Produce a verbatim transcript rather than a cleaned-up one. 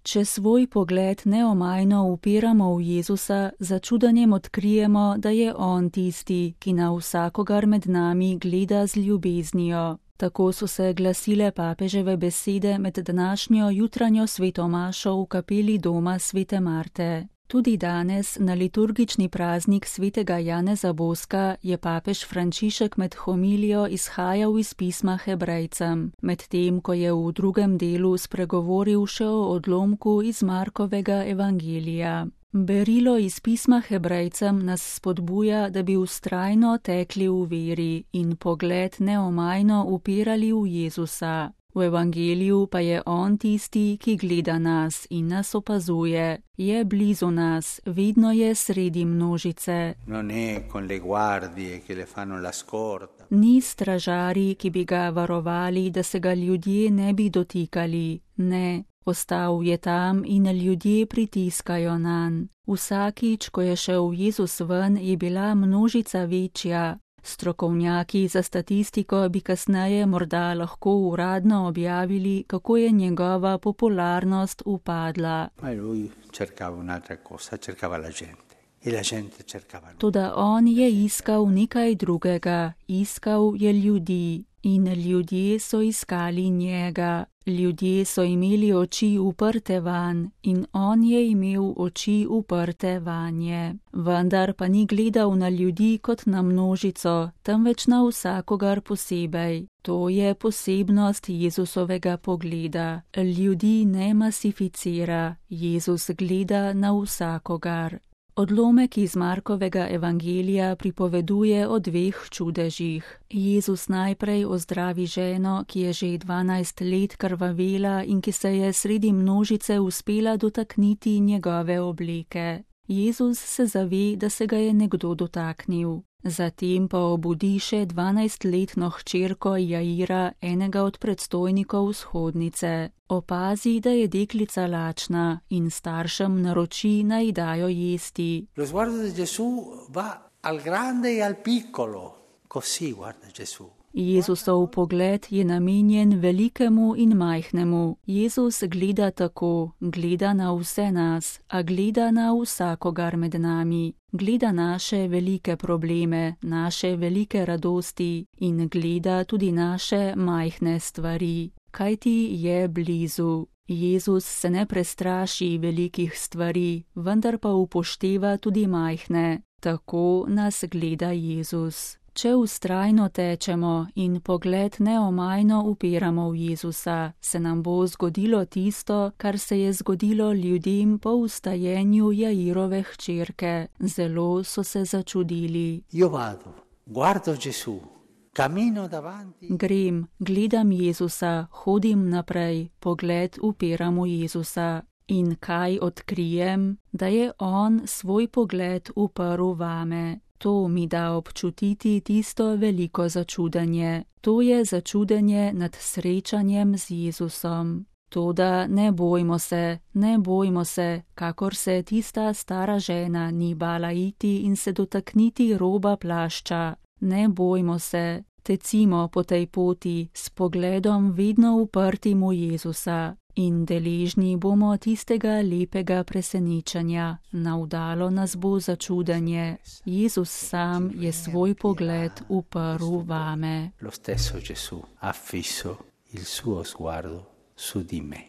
Če svoj pogled neomajno upiramo v Jezusa, za čudanjem odkrijemo, da je On tisti, ki na vsakogar med nami gleda z ljubeznijo. Tako so se glasile papeževe besede med današnjo jutranjo svetomašo v kapeli doma svete Marte. Tudi danes, na liturgični praznik svetega Janeza Boska, je papež Frančišek med homilijo izhajal iz pisma Hebrejcem, medtem ko je v drugem delu spregovoril še o odlomku iz Markovega evangelija. Berilo iz pisma Hebrejcem nas spodbuja, da bi vztrajno tekli v veri in pogled neomajno upirali v Jezusa. V evangeliju pa je On tisti, ki gleda nas in nas opazuje, je blizu nas, vedno je sredi množice. Ni stražari, ki bi ga varovali, da se ga ljudje ne bi dotikali, ne. Ostal je tam in ljudje pritiskajo nanj. Vsakič, ko je šel Jezus ven, je bila množica večja. Strokovnjaki za statistiko bi kasneje morda lahko uradno objavili, kako je njegova popularnost upadla. Toda on je iskal nekaj drugega, iskal je ljudi. In ljudje so iskali njega. Ljudje so imeli oči uprte vanj in on je imel oči uprte vanje. Vendar pa ni gledal na ljudi kot na množico, temveč na vsakogar posebej. To je posebnost Jezusovega pogleda. Ljudi ne masificira, Jezus gleda na vsakogar. Odlomek iz Markovega evangelija pripoveduje o dveh čudežih. Jezus najprej ozdravi ženo, ki je že dvanajst let krvavela in ki se je sredi množice uspela dotakniti njegove obleke. Jezus se zave, da se ga je nekdo dotaknil. Zatem pa obudi še dvanajstletno hčerko Jaira, enega od predstojnikov vzhodnice. Opazi, da je deklica lačna in staršem naroči, naj dajo jesti. Lo sguardo di Gesù va al grande e al piccolo. Così guarda Gesù. Jezusov pogled je namenjen velikemu in majhnemu. Jezus gleda tako, gleda na vse nas, a gleda na vsakogar med nami. Gleda naše velike probleme, naše velike radosti in gleda tudi naše majhne stvari. Kajti je blizu. Jezus se ne prestraši velikih stvari, vendar pa upošteva tudi majhne. Tako nas gleda Jezus. Če vztrajno tečemo in pogled neomajno upiramo v Jezusa, se nam bo zgodilo tisto, kar se je zgodilo ljudem po vstajenju Jairove hčerke. Zelo so se začudili. Io vado, guardo Gesù, cammino davanti. Grem, gledam Jezusa, hodim naprej, pogled upiram v Jezusa. In kaj odkrijem? Da je On svoj pogled uprl vame. To mi da občutiti tisto veliko začudenje. To je začudenje nad srečanjem z Jezusom. Toda ne bojmo se, ne bojmo se, kakor se tista stara žena ni bala iti in se dotakniti roba plašča. Ne bojmo se, tecimo po tej poti s pogledom vedno uprtim v Jezusa. In deležni bomo tistega lepega presenečenja, navdalo nas bo začudenje. Jezus sam je svoj pogled uprl vame. Lo stesso Gesù ha fisso il suo sguardo su di me.